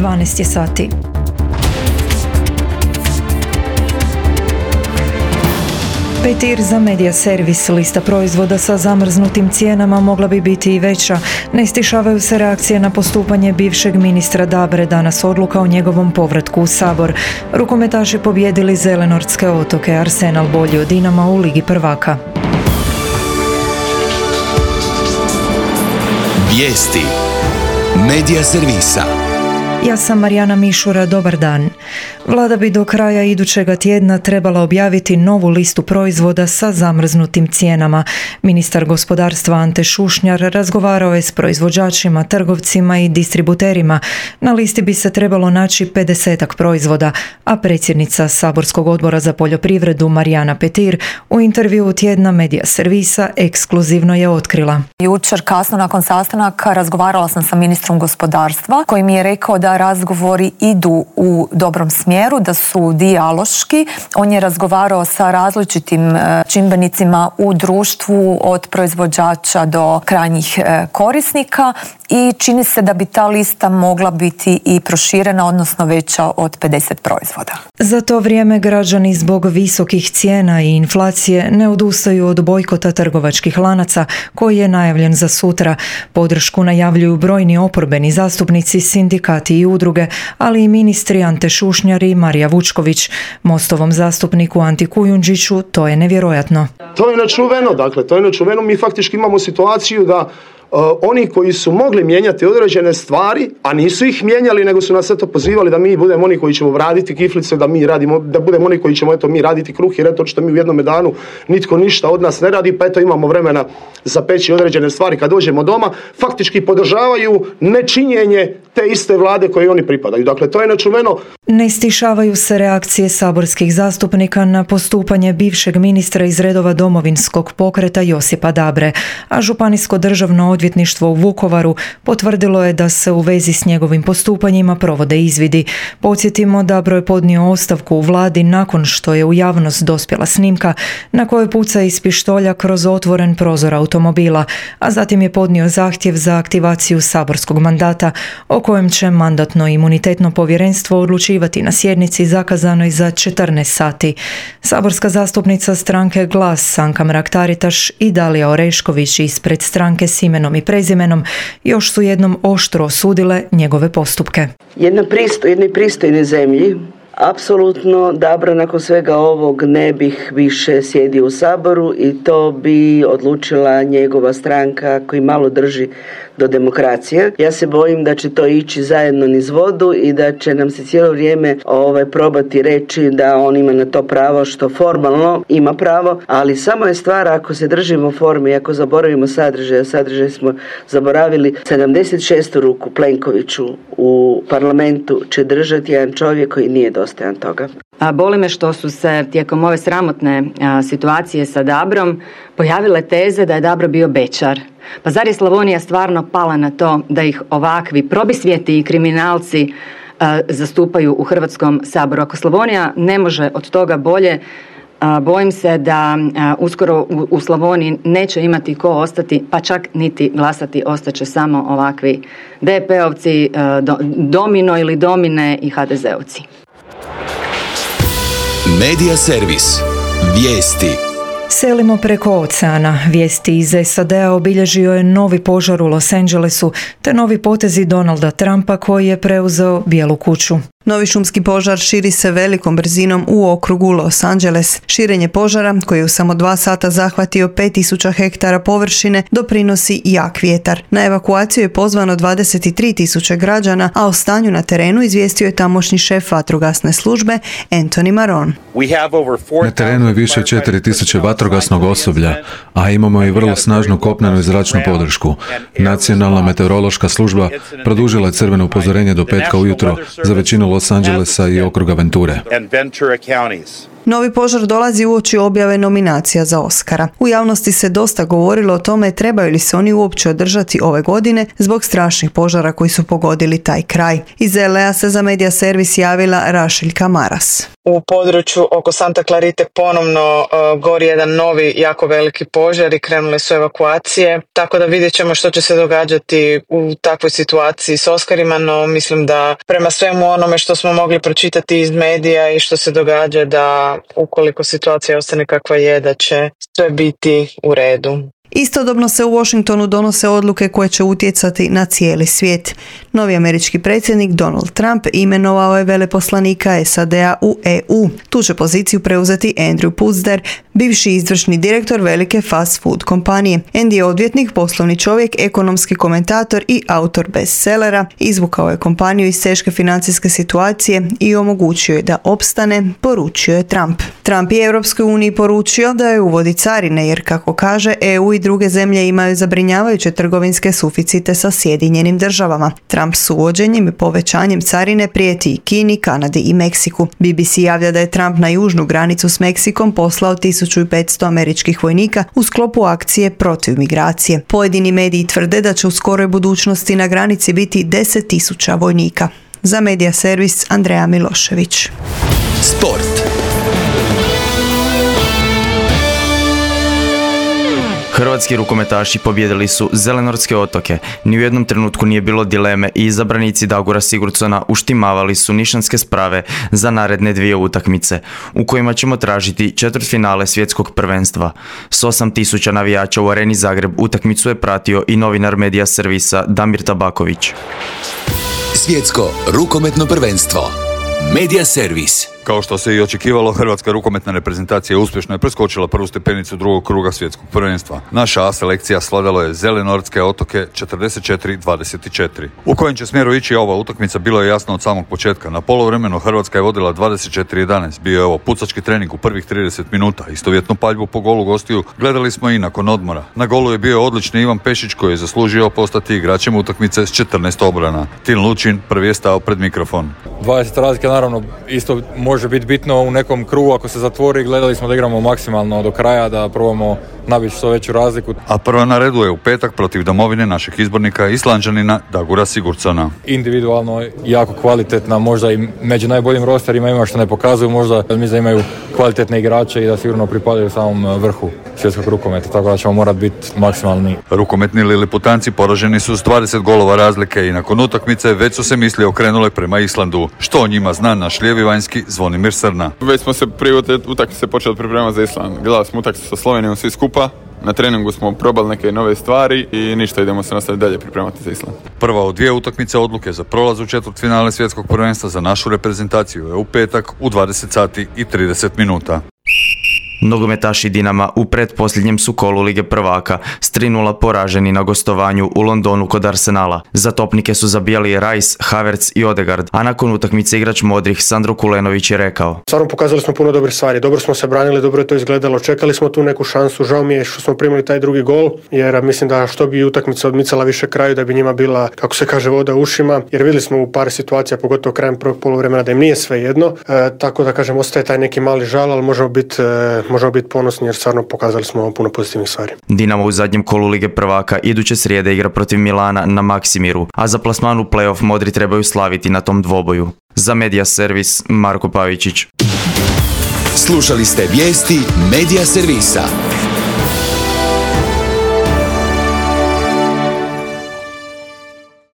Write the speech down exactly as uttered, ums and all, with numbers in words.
dvanaest je sati. Petir za Media Servis. Lista proizvoda sa zamrznutim cijenama mogla bi biti i veća. Ne stišavaju se reakcije na postupanje bivšeg ministra Dabre, danas odluka o njegovom povratku u Sabor. Rukometaši pobjedili Zelenortske otoke, Arsenal bolji od Dinama u Ligi prvaka. Vijesti Media Servisa. Ja sam Marijana Mišura, dobar dan. Vlada bi do kraja idućega tjedna trebala objaviti novu listu proizvoda sa zamrznutim cijenama. Ministar gospodarstva Ante Šušnjar razgovarao je s proizvođačima, trgovcima i distributerima. Na listi bi se trebalo naći pedesetak proizvoda, a predsjednica Saborskog odbora za poljoprivredu Marijana Petir u intervjuu tjedna Media Servisa ekskluzivno je otkrila. Jučer kasno nakon sastanaka razgovarala sam sa ministrom gospodarstva koji mi je rekao da razgovori idu u dobrom smjeru, da su dijaloški. On je razgovarao sa različitim čimbenicima u društvu, od proizvođača do krajnjih korisnika, i čini se da bi ta lista mogla biti i proširena, odnosno veća od pedeset proizvoda. Za to vrijeme građani zbog visokih cijena i inflacije ne odustaju od bojkota trgovačkih lanaca koji je najavljen za sutra. Podršku najavljuju brojni oporbeni zastupnici, sindikati i udruge, ali i ministri Ante Šušnjar i Marija Vučković. Mostovom zastupniku Anti Kujundžiću to je nevjerojatno. To je nečuveno, dakle, to je nečuveno. Mi faktički imamo situaciju da Uh, oni koji su mogli mijenjati određene stvari, a nisu ih mijenjali, nego su nas eto pozivali da mi budemo oni koji ćemo raditi kiflice, da mi radimo, da budemo oni koji ćemo eto mi raditi kruh, jer eto što mi u jednom danu nitko ništa od nas ne radi, pa eto imamo vremena za peći određene stvari kad dođemo doma. Faktički podržavaju nečinjenje te iste vlade koje oni pripadaju. Dakle, to je nečuveno. Ne stišavaju se reakcije saborskih zastupnika na postupanje bivšeg ministra iz redova Domovinskog pokreta Josipa Dabre, a Županijsko državno odvjetništvo u Vukovaru potvrdilo je da se u vezi s njegovim postupanjima provode izvidi. Podsjetimo, Dabro je podnio ostavku u vladi nakon što je u javnost dospjela snimka na kojoj puca iz pištolja kroz otvoren prozor automobila, a zatim je podnio zahtjev za aktivaciju saborskog mandata o kojem će Mandatno-imunitetno povjerenstvo odlučivati na sjednici zakazanoj za četrnaest sati. Saborska zastupnica stranke Glas Sanka Mrak-Taritaš i Dalija Orešković ispred stranke s imenom i prezimenom još su jednom oštro osudile njegove postupke. Jedna pristo, jednoj pristojnoj zemlji apsolutno Dabro nakon svega ovog ne bih više sjedio u Saboru i to bi odlučila njegova stranka koji malo drži do demokracije. Ja se bojim da će to ići zajedno niz vodu i da će nam se cijelo vrijeme ovaj, probati reći da on ima na to pravo, što formalno ima pravo, ali samo je stvar ako se držimo forme i ako zaboravimo sadržaj, a sadržaj smo zaboravili, sedamdeset šestu ruku Plenkoviću u parlamentu će držati jedan čovjek koji nije dostojan toga. A boli me što su se tijekom ove sramotne a, situacije sa Dabrom pojavile teze da je Dabro bio bećar. Pa zar je Slavonija stvarno pala na to da ih ovakvi probisvijeti i kriminalci a, zastupaju u Hrvatskom saboru? Ako Slavonija ne može od toga bolje, a, bojim se da a, uskoro u, u Slavoniji neće imati ko ostati, pa čak niti glasati, ostaće samo ovakvi D P-ovci, a, do, domino ili domine i ha de zeovci. Media Servis. Vijesti. Selimo preko oceana. Vijesti iz es a de a obilježio je novi požar u Los Angelesu te novi potezi Donalda Trumpa koji je preuzeo Bijelu kuću. Novi šumski požar širi se velikom brzinom u okrugu Los Angeles. Širenje požara, koji je u samo dva sata zahvatio pet tisuća hektara površine, doprinosi jak vjetar. Na evakuaciju je pozvano dvadeset tri tisuće građana, a o stanju na terenu izvijestio je tamošnji šef vatrogasne službe Anthony Maron. Na terenu je više od četiri tisuće vatrogasnog osoblja, a imamo i vrlo snažnu kopnenu i zračnu podršku. Nacionalna meteorološka služba produžila je crveno upozorenje do petka ujutro za većinu Los Angelesa i okruga Venture. Novi požar dolazi uoči objave nominacija za Oscara. U javnosti se dosta govorilo o tome trebaju li se oni uopće održati ove godine zbog strašnih požara koji su pogodili taj kraj. Iz L A se za Medija servis javila Rašiljka Maras. U području oko Santa Clarite ponovno uh, gori jedan novi jako veliki požar i krenule su evakuacije, tako da vidjet ćemo što će se događati u takvoj situaciji s Oscarima, no mislim da prema svemu onome što smo mogli pročitati iz medija i što se događa, da ukoliko situacija ostane kakva je, da će sve biti u redu. Istodobno se u Washingtonu donose odluke koje će utjecati na cijeli svijet. Novi američki predsjednik Donald Trump imenovao je veleposlanika S A D-a u E U. Tu će poziciju preuzeti Andrew Puzder, bivši izvršni direktor velike fast food kompanije. Andy je odvjetnik, poslovni čovjek, ekonomski komentator i autor bestsellera. Izvukao je kompaniju iz teške financijske situacije i omogućio je da opstane, poručio je Trump. Trump je Europskoj uniji poručio da je uvodi carine jer, kako kaže, E U i druge zemlje imaju zabrinjavajuće trgovinske suficite sa Sjedinjenim državama. Trump s uvođenjem i povećanjem carine prijeti i Kini, Kanadi i Meksiku. B B C javlja da je Trump na južnu granicu s Meksikom poslao tisuću petsto američkih vojnika u sklopu akcije protiv migracije. Pojedini mediji tvrde da će u skoroj budućnosti na granici biti deset tisuća vojnika. Za Medija servis Andreja Milošević. Sport. Hrvatski rukometaši pobijedili su Zelenortske otoke. Ni u jednom trenutku nije bilo dileme i izabranici Dagora Sigurdsona uštimavali su nišanske sprave za naredne dvije utakmice, u kojima ćemo tražiti četvrtfinale svjetskog prvenstva. S osam tisuća navijača u Areni Zagreb utakmicu je pratio i novinar Medija servisa Damir Tabaković. Svjetsko rukometno prvenstvo. Medija servis. Kao što se i očekivalo, hrvatska rukometna reprezentacija uspješno je preskočila prvu stepenicu drugog kruga svjetskog prvenstva. Naša A selekcija svladalo je Zelenortske otoke četrdeset četiri dvadeset četiri. U kojem će smjeru ići ova utakmica bilo je jasno od samog početka. Na poluvremenu Hrvatska je vodila dvadeset četiri jedanaest. Bio je ovo pucački trening u prvih trideset minuta. Istovjetnu paljbu po golu gostiju gledali smo i nakon odmora. Na golu je bio odlični Ivan Pešić koji je zaslužio postati igračem utakmice s četrnaest obrana. Tin Lučin prvi je stao pred mikrofon. dvadeset razlike naravno isto može biti bitno u nekom krugu ako se zatvori. Gledali smo da igramo maksimalno do kraja, da probamo nabiti što veću razliku. A prva na redu je u petak protiv domovine našeg izbornika Islanđanina Dagora Sigurdsona. Individualno jako kvalitetna, možda i među najboljim rosterima ima što ne pokazuju, možda mislim da imaju kvalitetne igrače i da sigurno pripadaju samom vrhu svjetskog rukometa, tako da ćemo morati biti maksimalni. Rukometni liliputanci poraženi su s dvadeset golova razlike i nakon utakmice već su se misli okrenule prema Islandu. Što o njima zna naš lijevi vanjski Zvonimir Srna. Već smo se prije utakmice počeli pripremati za Island. Gledali smo utakmicu sa Slovenijom svi skupa. Na treningu smo probali neke nove stvari i ništa, idemo se nastaviti dalje pripremati za Island. Prva od dvije utakmice odluke za prolaz u četvrtfinale svjetskog prvenstva za našu reprezentaciju je u petak u dvadeset sati i trideset minuta. Nogometaši Dinama u pretposljednjem su kolu Lige prvaka s tri nula poraženi na gostovanju u Londonu kod Arsenala. Za topnike su zabijali Rice, Havertz i Odegaard, a nakon utakmice igrač modrih Sandro Kulenović je rekao: Stvarno pokazali smo puno dobrih stvari, dobro smo se branili, dobro je to izgledalo, čekali smo tu neku šansu, žao mi je što smo primili taj drugi gol, jer mislim da što bi utakmica odmicala više kraju, da bi njima bila, kako se kaže, voda u ušima, jer vidjeli smo u par situacija, pogotovo krajem prvog poluvremena, da im nije sve jedno, e, tako da kažem, ostaje taj neki mali žal, ali možemo biti e, možemo biti ponosni jer stvarno pokazali smo puno pozitivnih stvari. Dinamo u zadnjem kolu Lige prvaka iduće srijede igra protiv Milana na Maksimiru, a za plasman u play-off modri trebaju slaviti na tom dvoboju. Za Medija servis Marko Pavičić. Slušali ste vijesti Medija servisa.